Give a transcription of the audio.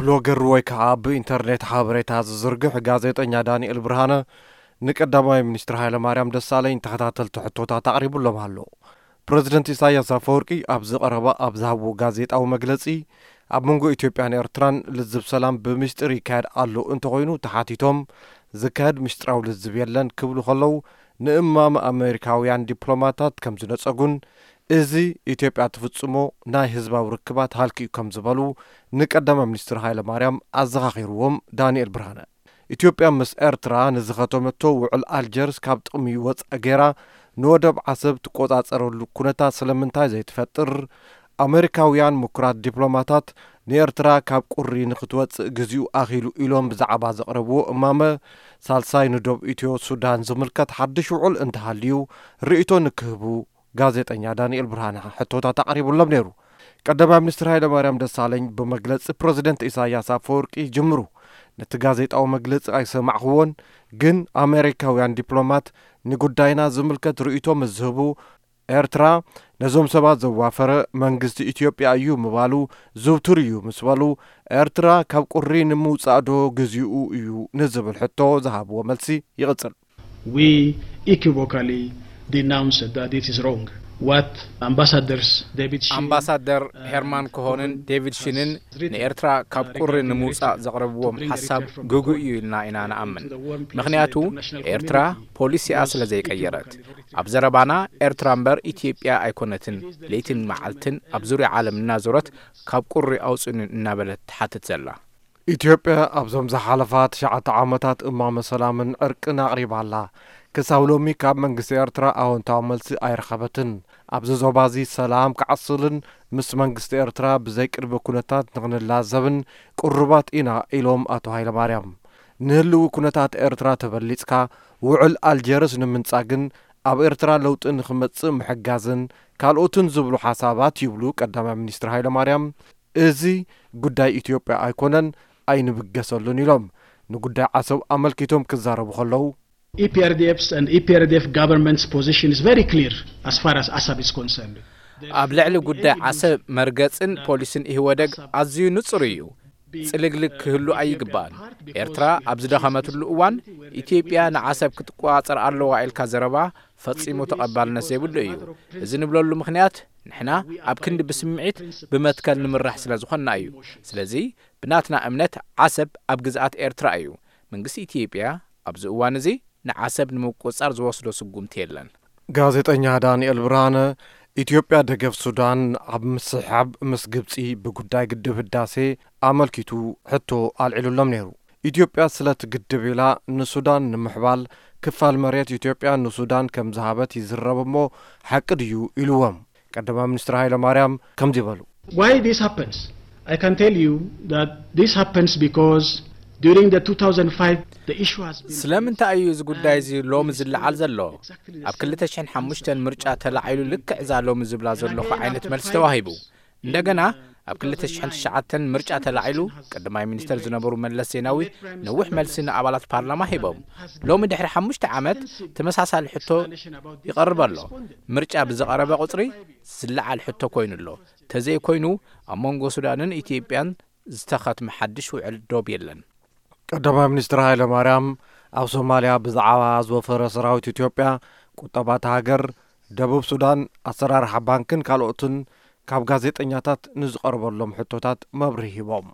ብሎገር ወይ ከዓ ብኢንተርኔት ሓበሬታ ዝዝርግሕ ጋዜጠኛ ዳንኤል ብርሃነ ንቀዳማይ ሚኒስትር ሃይለማርያም ደሳለኝ ተኸታተልቲ ሕቶታት ኣቕሪቡሎም ኣሎ። ፕረዚደንት ኢሳያስ ኣፈወርቂ ኣብዚ ቀረባ ኣብ ዝሃብዎ ጋዜጣዊ መግለጺ፣ ኣብ መንጎ ኢትዮጵያን ኤርትራን ልዝብ ሰላም ብምስጢር ይካየድ ኣሎ እንተኾይኑ ተሓቲቶም፣ ዝካየድ ምስጢራዊ ልዝብ የለን ክብሉ ከለዉ፣ ንእማመ ኣሜሪካውያን ዲፕሎማታት ከም ዝነጸጉን፣ እዚ ኢትዮጵያ ትፍጽሞ ናይ ህዝባዊ ርክባት ሃልኪ እዩ ከም ዝበሉ ንቀዳማይ ሚኒስትር ሃይለማርያም ኣዘኻኺርዎም ዳንኤል ብርሃነ። ኢትዮጵያ ምስ ኤርትራ ንዝኸተመቶ ውዕል ኣልጀርስ ካብ ጥቕሚ ወጻኢ ገይራ ንወደብ ዓሰብ ትቆጻጸረሉ ኩነታት ስለምንታይ ዘይትፈጥር? ኣመሪካውያን ምኩራት ዲፕሎማታት ንኤርትራ ካብ ቁሪ ንክትወጽእ ግዚኡ ኣኺሉ ኢሎም ብዛዕባ ዘቕረብዎ እማመ፣ ሳልሳይ ንዶብ ኢትዮ ሱዳን ዝምልከት ሓድሽ ውዕል እንተሃልዩ ርእይቶ ንክህቡ ጋዜጠኛ ዳንኤል ብርሃነ ሕቶታት ኣቕሪቡሎም ነይሩ። ቀዳማይ ሚኒስትር ሃይለማርያም ደሳለኝ ብመግለጺ ፕረዚደንት ኢሳያስ ኣፈወርቂ ይጅምሩ። ነቲ ጋዜጣዊ መግለጺ ኣይሰማዕኽዎን፣ ግን ኣሜሪካውያን ዲፕሎማት ንጉዳይና ዝምልከት ርእይቶ ምስ ዝህቡ፣ ኤርትራ ነዞም ሰባት ዘዋፈረ መንግስቲ ኢትዮጵያ እዩ ምባሉ ዝውቱር እዩ ምስ በሉ፣ ኤርትራ ካብ ቁሪ ንምውጻእ ዶ ግዚኡ እዩ ንዝብል ሕቶ ዝሃብዎ መልሲ ይቕጽል። We equivocally denounced that it is wrong. What ambassadors David Sheen ኣምባሳደር ሄርማን ኮሆንን ዴቪድ ሺንን ንኤርትራ ካብ ቁሪ ንምውጻእ ዘቕረብዎም ሓሳብ ግጉእ እዩ ኢልና ኢና ንኣምን። ምኽንያቱ ኤርትራ ፖሊሲኣ ስለ ዘይቀየረት። ኣብ ዘረባና ኤርትራ እምበር ኢትዮጵያ ኣይኮነትን ለይትን መዓልትን ኣብ ዙርያ ዓለም እናዞረት ካብ ቁሪ ኣውጽኡኒ እናበለት ትሓትት ዘላ። ኢትዮጵያ ኣብዞም ዝሓለፋ ትሽዓተ ዓመታት እማመ ሰላምን ዕርቅን ኣቕሪባ ኣላ። ክሳብ ሎሚ ካብ መንግስቲ ኤርትራ ኣወንታዊ መልሲ ኣይረኸበትን። ኣብዚ ዞባ እዚ ሰላም ክዓስልን ምስ መንግስቲ ኤርትራ ብዘይ ቅድመ ኩነታት ንኽንላዘብን ቅሩባት ኢና ኢሎም ኣቶ ሃይለማርያም። ንህልዊ ኩነታት ኤርትራ ተበሊጽካ ውዕል ኣልጀርስ ንምንጻግን ኣብ ኤርትራ ለውጢ ንኽመጽእ ምሕጋዝን ካልኦትን ዝብሉ ሓሳባት ይብሉ ቀዳማይ ሚኒስትር ሃይለማርያም። እዚ ጉዳይ ኢትዮጵያ ኣይኮነን ኣይንብገሰሉን ኢሎም ንጉዳይ ዓሰብ ኣመልኪቶም ክዛረቡ ከለዉ። EPRDF's and EPRDF government's position is very clear as far as Assab is concerned. ኣብ ልዕሊ ጉዳይ ዓሰብ መርገጽን ፖሊስን ኢህወደግ ኣዝዩ ንጹር እዩ። ጽልግልግ ክህሉ ኣይግባእን። ኤርትራ ኣብ ዝደኸመትሉ እዋን ኢትዮጵያ ንዓሰብ ክትቆጻጸር ኣለዋ ኢልካ ዘረባ ፈጺሙ ተቐባልነት ዘይብሉ እዩ። እዚ ንብለሉ ምኽንያት ንሕና ኣብ ክንዲ ብስምዒት ብመትከል ንምራሕ ስለ ዝኾንና እዩ። ስለዚ ብናትና እምነት ዓሰብ ኣብ ግዝኣት ኤርትራ እዩ። መንግስቲ ኢትዮጵያ ኣብዚ እዋን እዚ ንዓሰብ ንምቁጽጻር ዝወስዶ ስጉምቲ የለን። ጋዜጠኛ ዳንኤል ብርሃነ ኢትዮጵያ ደገፍ ሱዳን ኣብ ምስሕሓብ ምስ ግብጺ ብጉዳይ ግድብ ህዳሴ ኣመልኪቱ ሕቶ ኣልዒሉሎም ነይሩ። ኢትዮጵያ ስለቲ ግድብ ኢላ ንሱዳን ንምሕባል ክፋል መሬት ኢትዮጵያ ንሱዳን ከም ዝሃበት ይዝረብ እሞ ሓቂ ድዩ ኢልዎም። ቀዳማይ ሚኒስትር ሃይለ ማርያም ከምዚ በሉ። Why this happens? I can tell you that this happens because during the two thousand five the issue has been ስለምንታይ እዩ እዚ ጉዳይ እዚ ሎሚ ዝለዓል ዘሎ? ኣብ ክልተ ሽሕን ሓሙሽተን ምርጫ ተላዒሉ ልክዕ እዛ ሎሚ ዝብላ ዘለኹ ዓይነት መልሲ ተዋሂቡ። እንደገና ኣብ ክልተ ሽሕን ትሽዓተን ምርጫ ተላዒሉ ቀዳማይ ሚኒስተር ዝነበሩ መለስ ዜናዊ ነዊሕ መልሲ ንኣባላት ፓርላማ ሂቦም። ሎሚ ድሕሪ ሓሙሽተ ዓመት ተመሳሳሊ ሕቶ ይቐርብ ኣሎ። ምርጫ ብዝቐረበ ቁጽሪ ዝለዓል ሕቶ ኮይኑ ኣሎ። ተዘይኮይኑ ኣብ መንጎ ሱዳንን ኢትዮጵያን ዝተኸትመ ሓድሽ ውዕል ዶብ የለን። ቀዳማይ ሚኒስትር ሃይለ ማርያም ኣብ ሶማልያ ብዛዕባ ዝወፈረ ሰራዊት ኢትዮጵያ፣ ቁጠባ እታ ሃገር፣ ደቡብ ሱዳን፣ ኣሰራርሓ ባንክን ካልኦትን ካብ ጋዜጠኛታት ንዝቐረበሎም ሕቶታት መብርሂ ሂቦም።